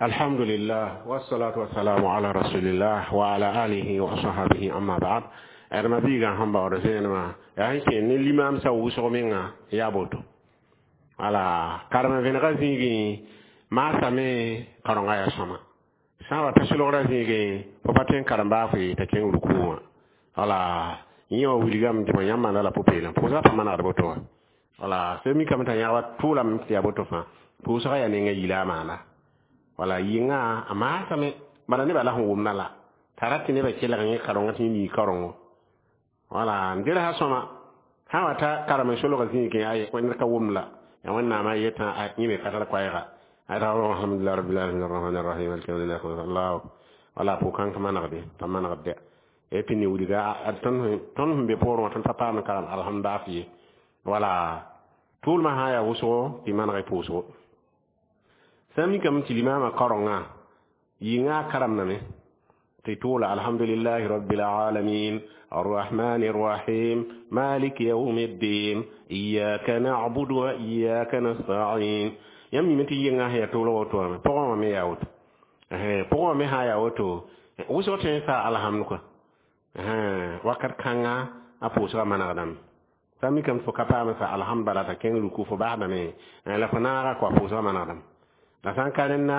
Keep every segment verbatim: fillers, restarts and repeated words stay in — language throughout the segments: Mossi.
Alhamdulillah, wassalatu wassalamu ala rasulillah wa ala alihi wa ashabihi, amma ba'd. Adama biiga sẽn baood zẽenemã yaa sẽn kẽ ne limaamsã wʋsg menga yaa boto wala karem vẽnega zĩigẽ maasame karonga yaa sõma sã n wa ta solgra zĩigẽ fo pa tõe n karem baa fo t'a kẽng ruku wã wala yẽ wã wilgame tɩ bõe yãmb maanda la pʋ-peelem pʋʋsgã pa manegd boto wã wala sẽn mikame t'a yãgba tʋʋlame tɩ yaa boto fãa pʋʋsgã yaa nenga yila a maana wala yɩnga a maasame bala nebã la sẽn wʋmda la t'a rat tɩ nebã kelg yẽ karonga tɩ yẽ mii karongo wala n dɩrsa sõma sã n wa ta karem n solga zĩigẽ ay ned ka wʋmd la yaa wẽnnaamã yetã yẽ me ka tar koɛɛga alhamdulillah rabbil alamin arrahman arrahim maliki yawmiddin allah wala pʋ-kãnk manegde pa manegd et puis ne wilga tõnd sẽn be poorẽ wã tõnd pa paam n karem alhamdaaf ye wala tʋʋlmã sã n yaa wʋsgo tɩ maneg pʋʋsgo sã n mikame tɩ limaamã kaorenga yɩnga a karemdame tɩ tʋʋla alhamdulillahi rabbil alamin الرحمن الرحيم مالك يوم الدين إياك نعبد وإياك نستعين yãmb mime tɩ yɩnga sẽn yaa tʋʋlg woto wã pʋgẽ wã me yaa woto pʋgẽ wã me sã n yaa woto wʋsg tõe n saa alhamd kɔa wakat kãnga a pʋʋsgã manegdame sã n mikame tɩ fo ka paam n sa alhamd bala t'a kẽng ruku fo basdame la fo naaga kɔa pʋʋsgã manegdame la sã n ka rẽnda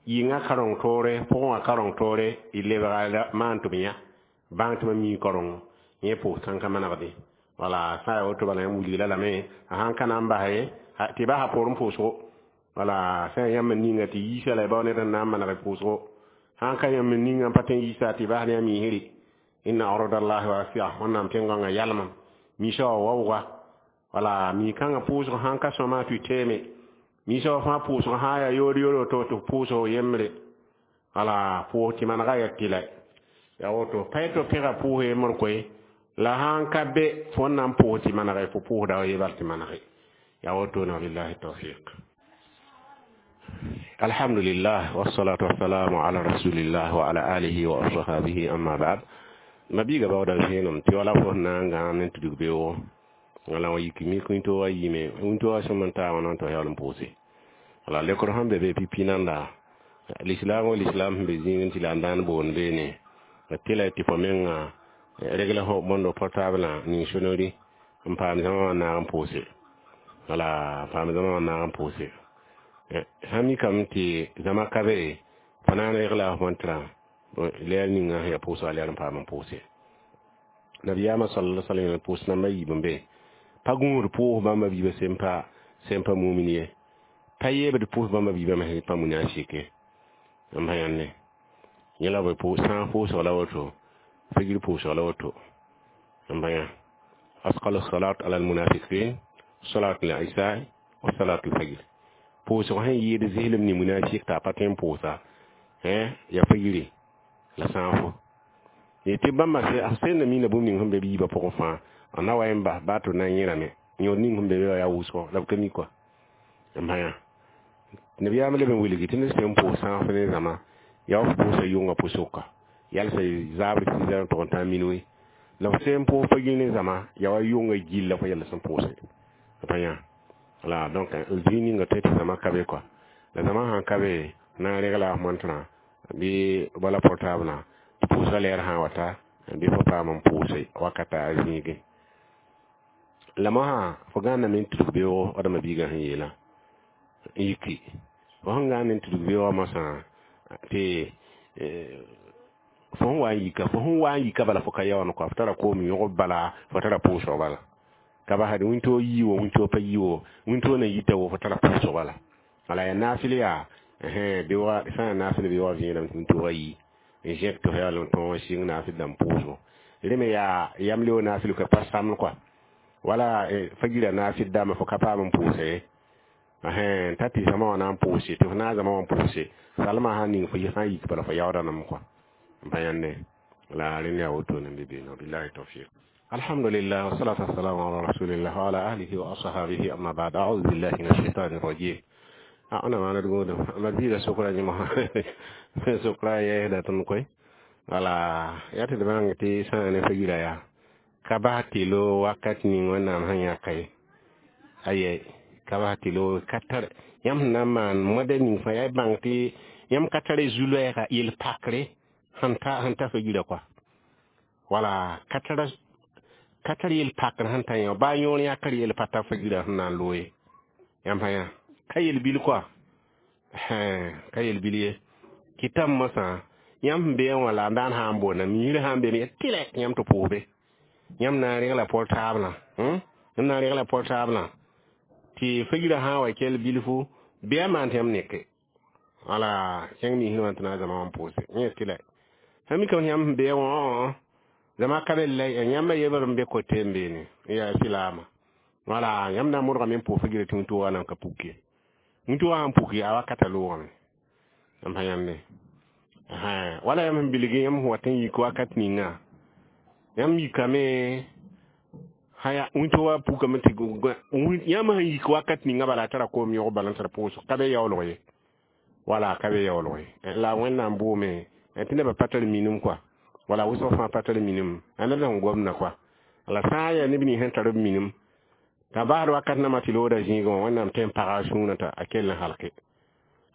yɩnga kareng toore pʋgẽ wã kareng toore y lebga maan tɩ b yã bãng tɩ mam mii karongo yẽ pʋʋs kãn ka manegde wala sã n yaa woto bala yãmb wilgla lame a sãn ka na n bas ye tɩ basa poorẽ pʋʋsgo wala sã n yãmb n ninga tɩ yiisa la y bao ned n na n maneg pʋʋsgo sã n ka yãmb n ninga n pa tõe n yiisa tɩ bas ne a miisre inna ardallahi wasia wẽnnaam tẽn-gãngã yalmam miisã wa waooga wala mi-kãngã pʋʋsg sãn ka sõma tɩ teeme miisã wa fãa pʋʋsg sã n yaa yoor yoor to tɩ pʋʋsg yembre wala pʋʋs tɩ manega yaa tɩla yaa woto pa tɩ f pẽga pʋʋs yembr koe la sãn ka be fo n na n pʋʋs tɩ manege fo pʋʋsda wa ye bal tɩ manege yaa woto ne wabillahi tawfiq. Alhamdulillah, wassalatu wassalamu ala rasulillah wa ala alihi wa ashabihi, amma ba'd. Mabiiga baooda vẽenem tɩ wala fo sẽn na n gãam ne tudg beoogo wala wa yik mik wĩntoogã yiime wĩntoogã sẽm n taa wã na n tɩ yaool n pʋʋse wala lekr sẽn be be pipi nanda lislaam wa lislaam sẽn be zĩigẽ tɩ la n dãan boond beene tɩla tɩ fo menga regla fo bõndo portable ning sonori n paam zãma wã naag n pʋʋse wala paam zãma wã naag n pʋʋse sã mikame tɩ zãma ka be fo na n regla f montrã lɛɛr ninga sẽn yaa pʋʋsga lɛɛr n paam n pʋʋse nabiyaamã sala sallam pʋʋs namba yiib n be pa gũud pʋʋs bãmba biibã sẽn pa sẽn pa mumin ye pa yeebd pʋʋs bãmba biibã me sẽn pa munafike n pa yãnde yẽ la b sã n pʋʋsg la woto figr pʋʋsg la woto n pa yã asqal salat ala almunafiqin salat al-isha wa salat al-fajr pʋʋsg sẽn yɩɩd zɩslem ne munafik t'a pa tõe n pʋʋsa ya figri la sãafo tɩ bãmba sẽn na mina bũmb ning sẽn be b yiibã pʋgẽ fãa a na wa n bas baa tɩ na n yẽrame yõod ning sẽn be be yaa wʋsgo la b ka mi kɔa n pa yã nabiyaam leb n wilgi tɩ ned sẽn pʋʋs sãaf ne zãma yaa f pʋʋsa yʋngã pʋsʋka yalsa zaabr tɩ n tʋg n tãag minui la f sẽn pʋʋs fa gil ne zãma yaa wa yʋngã gill la fo yɛl sẽn pʋʋse pa yã wala donc zĩig ninga tõe tɩ zãma ka be kɔa la zãma sãn ka be na n regla f montrã bɩ wala portable tɩ pʋʋsga lɛɛr sã n wa ta bɩ fo paam n pʋʋse wakata a zĩigẽ la mosã fo gãandame n tudg beoogo wadama biigã sẽn yeelã n yiki fo sẽn gãand n tudg beoogã mosã tɩ fo sẽn wa n yika fo sẽn wa n yika bala fo ka yaoon kɔa fo tara koom yõgb bala fo tara pʋʋsg bala ka basd wĩntoog yii wo wĩntoog pa yii wo wĩntoog na yita wo fo tara pʋʋsg bala wala yaa naafɩl yaa beoogã sã n yaa naafɩl beoogã vẽename tɩ wĩntoogã yii n zẽk tɩ fo yaool n tõog n sɩng naafɩl dãmb pʋʋsgo rẽ me yaa yam leo naafɩl ka pa samd kɔa wala fagira naafɩl dãmbã fo ka paam n pʋʋsa ye t'a tɩ zãma wã na n pʋʋse tɩ fo naag zãma wã n pʋʋse salmã sã n ning fo sã n yik bala fo yaoodame kɔa n pa yãnde la rẽnd yaa wotone n be beene billahi tawfiq. Alhamdulillah, wassalatu wassalamu ala rasulillah wa ala alihi wa ashabihi, amma ba'd. A'udhu billahi minash shaitani rajim. Ana ma na dugo ma bi sokra ni ma sokra ye da ton koy wala yati de bang ti sa ne fagira ya ka ba ti lo wakat ni wẽnnaam sẽn yãka ye aye Ka bas tɩ loog ka tar yãmb sẽn na n maan moadɛ ning fãa yaa y bãng tɩ yãmb ka tare zu-loɛɛga yel-pakre sẽn ta sẽn ta fa-yirã kɔa wala ka tara ka tar yel-pakr sẽn ta yã baa yõor yãkr yel pa ta fa-yirã sẽn na n loog ye yãmb sã yã ka yel-bil kɔa ka yel-bil ye kɩtame mosã yãmb sẽn beẽ wã la n daan sã n boonda miirã sã n beeme ya tɩlɛ yãmb tɩ pʋʋsbe yãmb na n regla portablã yãmb na n regla portablã tɩ fa-yirã sã n wa kell bilfu bɩ a maan tɩ yãmb neke wala kẽng miisd wã tɩ na n zãma wã n pʋʋse yẽ tɩlɛ sã mikame tɩ yãmb sẽn beẽ wã zãma ka be la yãmb a yebr n be kote n beene yaa silaama wala yãmb na n modgame n pʋʋs fa-yirã tɩ wĩntoogã nan ka puk ye wĩntoogã sãn puki a wakata loogame yãmb sã yãnde wala yãmb sẽn bilg yãmb sẽn wat n yik wakat ninga yãmb yikame haya wĩntoogã pukame tɩ yãmb sẽn yik wakat ninga bala a tara koom yõg bala n tara pʋʋsg ka be yaoolg ye wala ka be yaoolg ye la Wẽnnaam boome tɩ nebã pa tar minim kɔa wala wʋsg fãa pa tar minim a ned sẽn gomda kɔa la sã n yaa neb nins sẽn tar b minim t'a baasd wakat nãmã tɩ looda zĩigẽ wã Wẽnnaam tõe n paga a sũurã t'a a kell n halke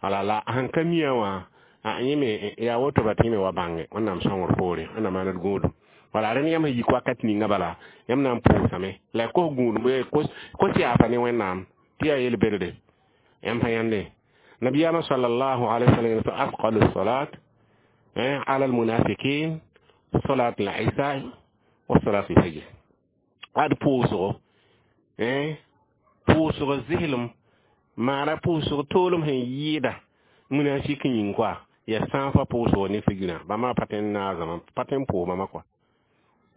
wala la sẽn ka mia wã a yẽ me yaa woto ba tɩ yẽ me wa bãnge Wẽnnaam sõngr poore Wẽnnaam maan d gũudum wala rẽnd yãmb sẽn yik wakat ninga bala yãmb na n pʋʋsame la y kos gũudum kos yaafa ne Wẽnnaam tɩ yaa yel-berde yãmb sã yãnde nabiyaamã sallallahu alaihi wasallam tɩ afqalu salat ala almunafiqin salat al-isha wa salat al-fajr ad pʋʋsgo pʋʋsg zɩslem maana pʋʋsg toolem sẽn yɩɩda munafik yĩng kɔa ya sãafã pʋʋsg ne figirã bãmba pa tõe n naag pa tõe n pʋʋs bãmba kɔa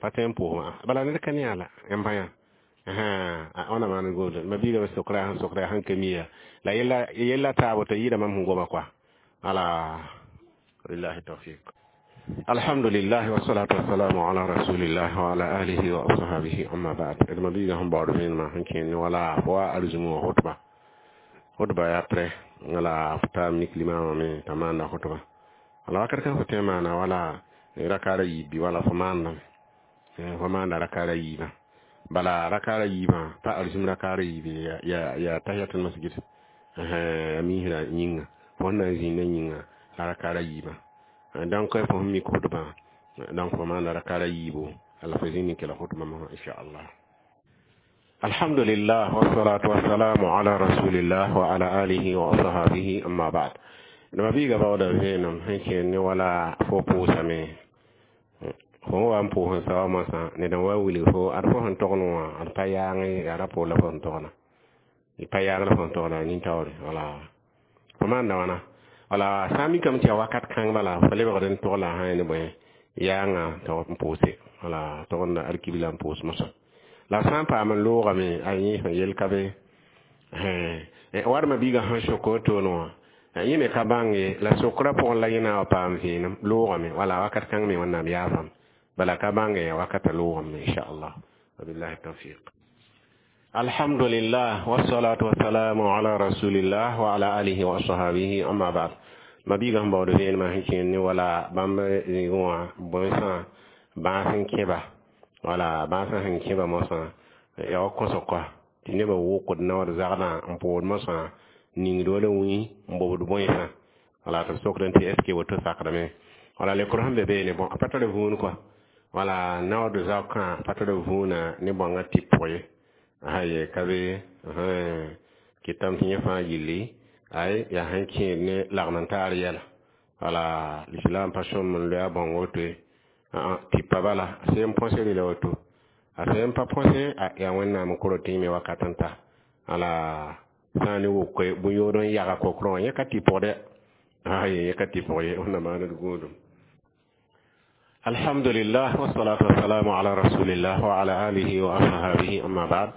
pa tõe n pʋʋs bala ned ka ne yaa la yãmb sã yã wãna maan gomda ma biigame sokra sẽn sokra sẽn ka mi ya la yella yella taabo t'a yɩɩda mam sẽn goma kɔa ala lillahi tawfiq alhamdulillah wassalatu wassalamu ala rasulillah wa ala alihi wa ashabihi amma ba'd d ma biiga sẽn baood vẽenemã sẽn kẽend wala fo wa arzũm wã hotba hotba yaa prɛ wala fo taa mik limamã me t'a maanda hotba wala wakat kan fo tõe n maana wala rakaara yiib bɩ wala fo maandame fo maanda rakaara yiibã bala rakaara yiibã pa arzũm rakaara yiib ya ya tahiyatul masjid ya miisrã yĩnga fo sẽn na n zĩndã yĩnga la rakaara yiibã donc fo sẽn mik hotbã donc fo maanda rakaara yiibo ala fo zĩnd n kela hotbã mosã inchallah. Alhamdulillah wassalatu wassalamu ala rasulillah wa ala alihi wa ashabihi amma ba'd. Dama biiga baooda vẽenem sẽn kẽend ne wala fo pʋʋsame fo wa n pʋʋs n sa wa mosã ned n wa wilg fo ad fo sẽn togn wã d pa yaang yaa ra pʋʋs la fo sẽn togna y pa yaang la fo sẽn togna nin-taoore wala fo maanda wãna wala sã n mikame tɩ yaa wakat kãng bala fo lebgd n tog la a sã ne bõe yaanga tɩ n pʋʋse wala togenda alkibla n pʋʋs mosã la sã n paam n loogame a yẽ sẽn yel ka be warma biiga sẽn sok wotone wã yẽ me ka bãng ye la sokrã pʋgẽ la yẽ na n wa paam vẽenem loogame wala wakat kãng me Wẽnnaam yaafame bala ka bãnge ya wakata loogame inchallah wabillahi tawfiq. Alhamdulillah wassalatu wassalamu ala rasulillah wa ala alihi wa ashabihi amma ba'd. Ma biiga sẽn baood vẽenemã sẽn kẽend ne wala bãmb zĩigẽ wã bõe-sã bãas n kẽba wala bãasã sẽn kẽba mosã yaa wa kõsg kɔa tɩ nebã wʋkd naood zagdã n pʋʋd mosã ningd wala wĩ n bobd bõensã wala tɩ b sokdẽ tɩ est ce que woto sakdame wala lekr sẽn be beene bõn a pa tar vũun kɔa wala naood zaokã pa tar vũunã ne bõngã tɩ pʋg ye aye ka be kɩtame tɩ yẽ fãa yilli ay yaa sẽn kẽed ne lagm n taar yɛla wala lislam pa sõm n loe a bõng woto ye tɩpa bala a sẽn põse rela woto a sẽn pa põse yaa Wẽnnaam n koro tɩ yẽ me wakat n ta wala sã n ne wʋke bõn-yood n yaga kokrã wã yẽ ka tɩ pʋgdɛ aye yẽ ka tɩ pʋg ye Wẽnnaam maan d gũudum. Alhamdulillah wassalatu wassalamu ala rasulillah wa ala alihi wa ashabihi amma ba'd.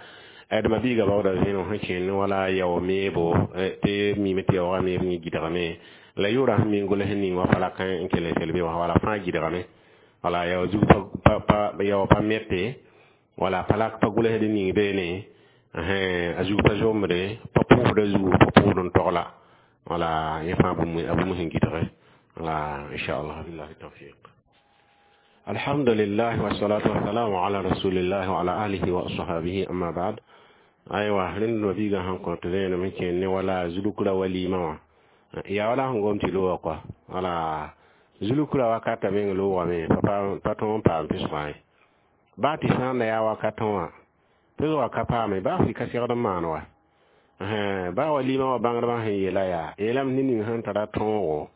D ma biiga baooda vẽenem sẽn kẽend wala yao meebo tɩ mime tɩ yaoogã meeb yẽ gɩdgame la yʋʋra sẽn mi n gʋls ning wa pa la kã n kell n sel be wã wala fãa gɩdgame wala yao zug pa yao pa mete wala pa la pa gʋlsd ning beene a zug pa zombre pa pʋʋsda zugu pa pʋʋsd n togla wala yẽ fãa a bũmb sẽn gɩdge wala inchallah billahi tawfiq. Alhamdulillah wassalatu wassalamu ala rasulillah wa ala alihi wa ashabihi amma ba'd. Aywa, rẽnd mabiigã sẽn kõt vẽenem n kẽen ne wala zulukra walima wã yaa wala sẽn gom tɩ loogã kɔa. Wala zulukra wakata meng loogame pa tõog n paam pesgã ye. Baa tɩ sã n da yaa wakatã wã pesgã ka paame, baa fɩ ka segd n maan wa. Baa walima wã bãngdbã sẽn yeela yaa yeelame ned ning sẽn tara tõogo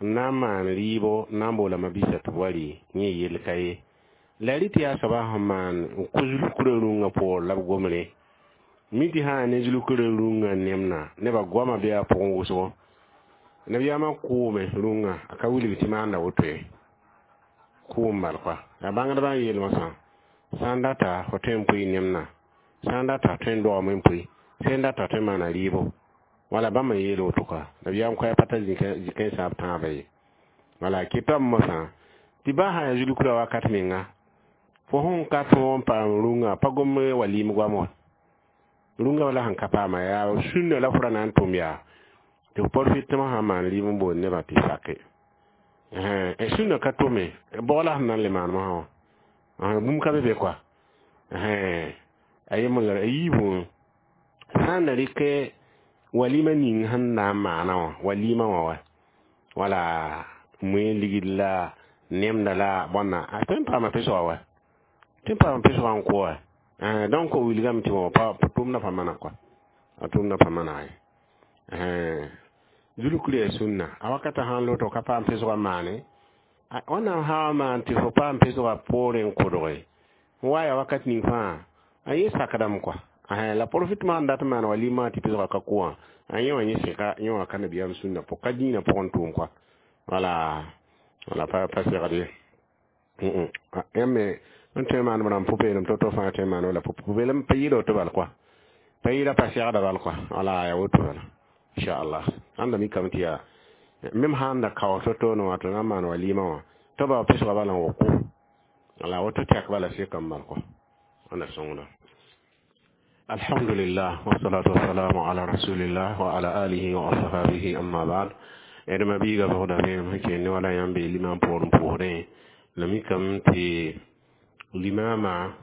n na n maan rɩɩbo, n na n boola mabisa tɩ b wa rɩ, yẽ yell ka ye. La rɩ tɩ yaa soaba sẽn maan n kos zulkrã rũngã poor la b gomre mi tɩ sã ne zulkrã rũngã nemna nebã goama bɩ a pʋgẽ wʋsgo nabiyaamã kʋʋme rũngã a ka wilg tɩ maanda woto ye, kʋʋm bal kɔa. Yaa bãngdbã n yeel mosã sã n data fo tõe n pʋɩ nemna, sã n data tõe n dogame n pʋɩ, sẽn data tõe n maana rɩɩbo. Wala bãmb n yeel woto kɔa, nabiyaam koɛɛ pa ta zikẽ sã b tãabã ye. Wala kɩtame mosã tɩ baa sã yaa zulkrã wakat menga fo sẽn ka tõog n paam rũngã pa gom walim goam wã rũngã wala sẽn ka paama yaa sũnna la fo ra na n tʋm yaa tɩ f profitmã sãn maan rɩɩb n boond nebã tɩ sake sũnna ka tome bʋg la sẽn na n le maan mosã wã bũmb ka be be kɔa. A yembr a yiibẽ sã n da rɩkɛ walima ning sẽn na n maana wã walima wã wa wala moe ligd la nemda la bõnna a tõe n paama pesgã wa, tõe n paama pesgã n kʋ wa. Donc wilgame tɩ pa tʋʋmdã pa mana kɔa, a tʋʋmdã pa mana ye. Zulukr yaa sũnna a wakata sãn loto ka paam pesgã maane wẽnnaam sã wa maan tɩ fo paam pesgã poorẽ n kodge n wa yaa wakat ning fãa a yẽ sakdame kɔa. La profit maan dat n maan walima tɩ pesgã ka kʋ wã a yẽ wã yẽ sɩka yẽ wã ka nabiyaam sũnna pʋg ka dĩinã pʋgẽ tʋʋm kɔa. Wala wala pa pa segd ye yãmb me n tõe n maan b rãmb pʋ-peelem to-to fãa tõe n maan wala pʋ-peelem pa yɩɩda woto bal kɔa, pa yɩɩda pa segda bal kɔa. Wala yaa woto bala inchallah. Ãnda mikame tɩ yaa mem sãn da kao to-to ne wã tɩ na n maan walima wã tɩ ba pesgã bala n wa kʋ wala woto tɛk bala sekame bal kɔa. Wẽnda sõngda. Alhamdulillah, wassalatu wassalamu ala rasulillah wa ala alihi wa ashabihi, amma ba'd. D mabiiga bʋgda vẽenem sẽn kẽen ne wala yãmb bee limam poor n pʋʋsdẽ la mikame tɩ limama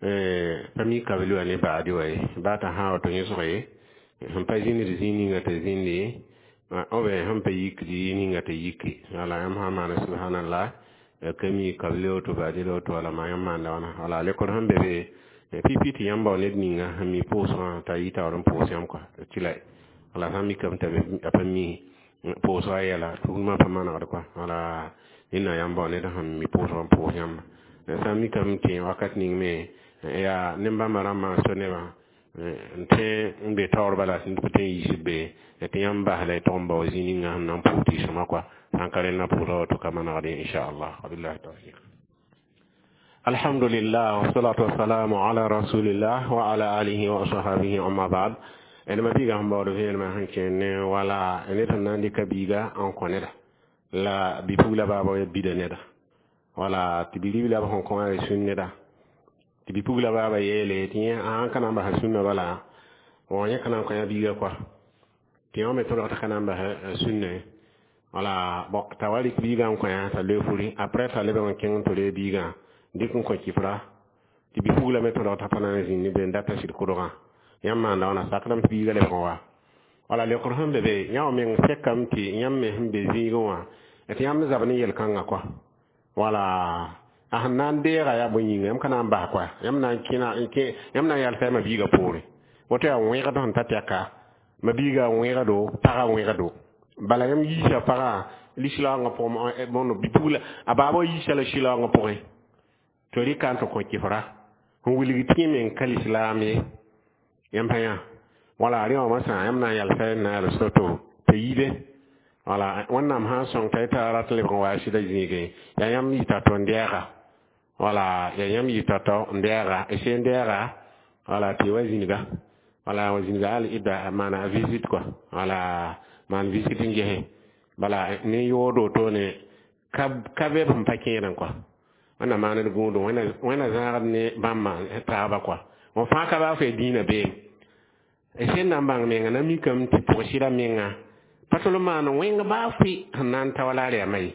pa mi kabl wa ne baadi wa ye baa t'a sã wato yẽsg ye sẽn pa zĩnd zĩig ninga tɩ zĩndi b sẽn pa yik zĩig ninga tɩ yiki. Wala yãmb sã n maana subhanallah ka mi kabl woto baadi la woto wala maa yãmb maanda wãna wala lekor sẽn be be pipi tɩ yãmb bao ned ninga sẽn mi pʋʋsgã t'a yɩ taoor n pʋʋs yãmb kɔa tɩ la wala sã n mikame t'a pa mi pʋʋsgã yɛla tugmã pa manegd kɔa. Wala ned na yãmb bao ned sẽn mi pʋʋsg n pʋʋs yãmba sã n mikame tɩ wakat ning me yaa nen-bãmba rãmbã so nebã n tõe n be taoor bala sẽn tɩ n yiisb be tɩ yãmb bas la y tog n bao zĩig ninga sẽn na n pʋʋs tɩ sõma kɔa sãn ka rẽndã pʋʋsga woto ka manegd ye inchallah. Wabillahi tawfiq. Alhamdulillah, wassalatu wassalamu ala rasulillah wa ala alihi wa ashabihi, amma ba'd. D mabiiga sẽn baood vẽenemã sẽn kẽen ne wala ned sẽn na n dɩka biiga n kõ neda la bi-pugla baaba ya bida neda wala tɩ bi-ribla b sẽn kõ a sũn neda tɩ bi-pugla baaba yeele tɩ yẽ sãn ka na n basa sũnna bala wã yẽ ka na n kõ ya biiga kɔa tɩ yõ me tõdg tɩ ka na n basa sũnna ye. Wala bon t'a wa rɩk biigã n kõ ya t'a loe furi après t'a lebg n kẽng n tɩ reeg biigã dɩk n kõ kɩfra tɩ bi-pugla me tõdg t'a pa na n zĩnd ne be n data sɩd kʋdgã yãmb maanda wãna sakdame tɩ biigã lebg n wa. Wala lekr sẽn be be yã wã meng sekame tɩ yãmb me sẽn be zĩigẽ wã tɩ yãmb zab ne yel-kãngã kɔa. Wala a sẽn na n deega yaa bõe yĩnga yãmb ka na n bas kɔa yãmb na n kẽna yãmb na n yalsa ma biigã poore woto yaa wẽgd sẽn ta tɛka ma biigã wẽgdo pagã wẽgdo bala yãmb yiisa pagã lislaoongã pʋgẽ bõndo bi-pugla a baaba yiisa la sɩlaoongã pʋgẽ tɩ rɩka n tɩ kõ kɩfra n wilg tɩ yẽ meng ka lislaam ye yãmb pa yã. Wala rẽ wã masã yãmb na n yalsa n na yals to-to t'a yibe. Wala wẽnnaam sã n sõng t'a y t'a rat lebg n wa a sɩda zĩigẽ yaa yãmb yɩta tɩ n dɛɛga wala yaa yãmb yɩta tao n dɛɛga y sẽn dɛɛga wala tɩ wa zĩniga wala wa zĩniga al ida maana a visite kɔa wala maan visite n gese bala ne yoodo wotone ka ka be b sẽn pa kẽedẽ kɔa wẽnna maand gũudum wẽnna zãagd ne bãmbã taaba kɔa wã fãa ka baa f yaa dĩinã beem sẽn na n bãng menga na mikame tɩ pʋg-sɩda menga pa tol n maan wẽng baa fʋɩ sẽn na n ta wala r yaa ye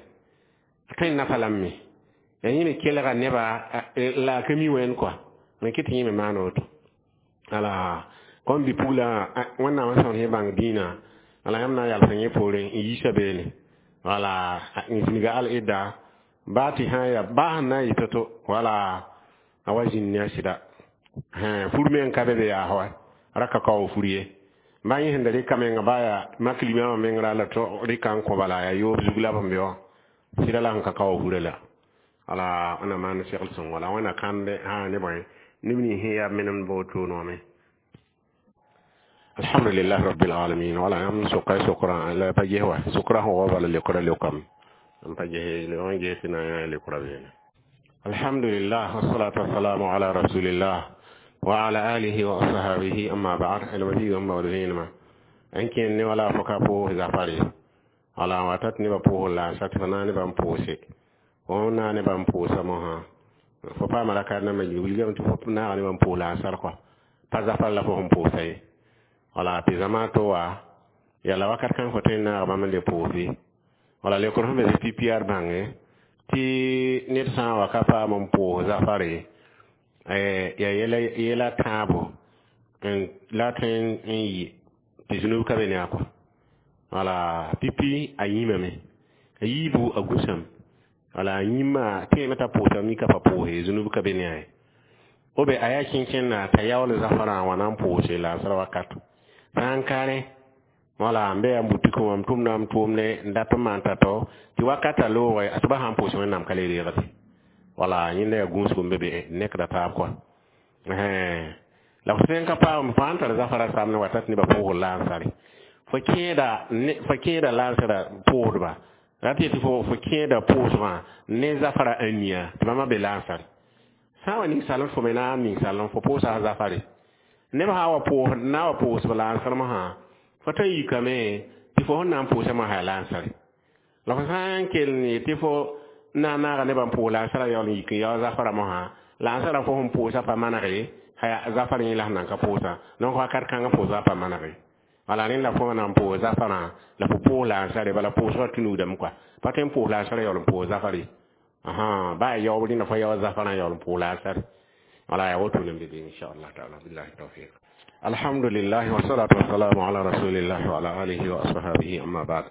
a tõe n nafa lame yaa yẽ me kelga neba la a ka mi wẽnd kɔa n kɩ tɩ yẽ me maan woto. Ala kom bi pugla wẽnnaam sẽn sẽn bãng dĩinã wala yãmb na n yalsa yẽ poorẽ n yiisa beene wala n zĩniga al-idda baa tɩ sã n ya baa sẽn na n yɩ to-to wala a wa zĩnd ne a sɩda fur me n ka be be yaas wa ra ka kao fur ye ba yẽ sẽn da rɩka menga baa yaa mak limama meng ra la rɩka n kõ bala yaa yoob zug la b sẽn be wã sɩda la sẽn ka kao furã la wala wẽnnaam maan segl sõngo la wẽnna kãnde sã ne bõe neb nins sẽn yaa menemd ba wotone wã me. Alhamdulillah rabbil alamin. Wala yãmb soka sokra la pa ges wa sokra sẽn wa bala leokra leokame n pa ges wã ges tɩ na n yã leokra beene. Alhamdulillah, wassalatu wassalamu ala rasulillah wa ala alihi wa ashabihi, amma ba'd. Almabiga n baood vẽenemã n kẽnd ne wala fo ka pʋʋs zafare wala n wa tat nebã pʋʋs laasã tɩ f na nebã n pʋʋse fo na nebã n pʋʋsa mosã fo paama rakat nambã wilgame tɩ fo naaga nebã n pʋʋs lansar kɔa pa zafar la fo sẽn pʋʋsa ye wala tɩ zama to wa yala wakat kãng fo tõe n naag bãmb n le pʋʋse wala leokr sẽn be P P R bãnge tɩ ned sã n wa ka paam n pʋʋs zafare yaa yɛla tãabo la tõe n yɩ tɩ zũnub ka be ne a kɔa wala pipi a yĩmame a yiibu a gũsame wala a yĩmma tẽeme t'a pʋʋsame mika pa pʋʋse zũnub ka be ne a ye o be a yaa kẽnkẽnda t'a yaool zafarã n wa na n pʋʋse laasra wakat sã n ka rẽ wala n be yaa butik wã m tʋmda m tʋʋmde n dat n maan tao tɩ wakata loogɛ a tɩ ba sãn pʋʋs wẽnnaam ka le reegde wala yẽnda yaa gũusg n be be nekda taab kɔa la fo sẽn ka paam fo sãn tar zafara samne wa tat nebã pʋʋsg laansare fo kẽeda fo kẽeda laansara pʋʋsdba rat yetɩ fo fo kẽeda pʋʋsgã ne zafara ania tɩ bãmba be laansare sã n wa ninsaalem fo me na n ninsaalem fo pʋʋsa zafare neb sã wa pʋʋs na wa pʋʋsb laansr mosã fo tõe n yikame tɩ fo sẽn na n pʋʋsa mosã yaa laansare la fo sã n kell n yetɩ fo na n naaga nebã n pʋʋs laansara yaool n yik n yao zafara mosã laansara fo sẽn pʋʋsa pa manege zafar yẽ la sẽn nan ka pʋʋsa donc wakat kãngã pʋʋsga pa manege wala rẽnd la fo na n pʋʋs zafarã la fo pʋʋs laansare bala pʋʋsgã tũnugdame kɔa pa tõe n pʋʋs laansara yaool n pʋʋs zafar ye baa yaoob rẽnda fo yao zafarã yaool n pʋʋs laansare wala yaa wotone n be be inchallah taala. Billahi tawfiq. Alhamdulillah, wassalatu wassalamu ala rasulillah wa ala alihi wa ashabihi, amma ba'd.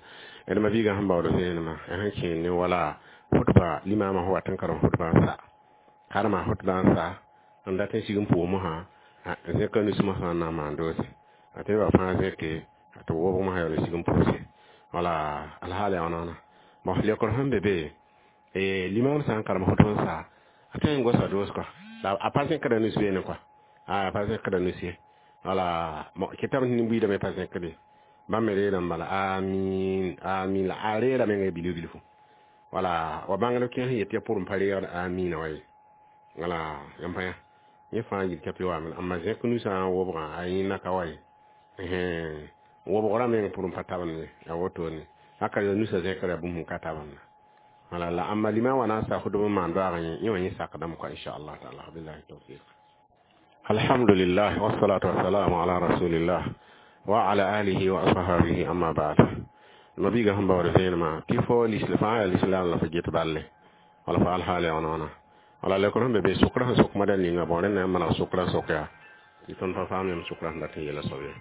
D mabiigã sẽn baood vẽenemã sẽn kẽen ne wala khutba limama sẽn wat n karem khutba n sa karema khutba n sa n dat n sig n pʋʋs mosã zẽka nus mosã n na n maan doose a tɩ nebã fãa zẽke tɩ b wobg mosã yaool n sig n pʋʋse wala alhaal yaa wãna bon leokr sẽn be be limam sã n karem khutb n sa a tõe n gosa doos kɔa la a pa zẽkda nus beene kɔa a pa zẽkda nus ye wala kɩtame tɩ nin-buiidame pa zẽkde bãmb me reerame bala amin amin la a reera menga bilf bilfu wala wa bãngd kẽes n yet tɩ ya pʋrẽ pa reegd amina wa ye wala yãmb pa yã yẽ fãa yil tɩ wame amma zẽk nusã n wobgã a yẽnna ka wa ye wobgrã meng pʋrẽ pa tabend ye ya wotone haka ya nusã zẽkra bũmb sẽn ka tabend wala la amma lima wa na n sa khutb n maan doaag yẽ wã yẽ sakdame kɔa inchallah taala. Billahi tawfiq. Alhamdulillah, wassalatu wassalamu ala rasulillah wa ala alihi wa ashabihi, amma ba'd. Mabiga sẽn baood vẽenemã tɩ fo lisl fãa yaa lislaam la fo get balle wala fo alhaal yaa wãna wala leokr sẽn be be sʋkrã sẽn sok mada ninga bõ rẽnd na n maneg sʋkrã sok yaa tɩ tõnd pa faam yãmb sʋkrã sẽn dat n yeela soab ye.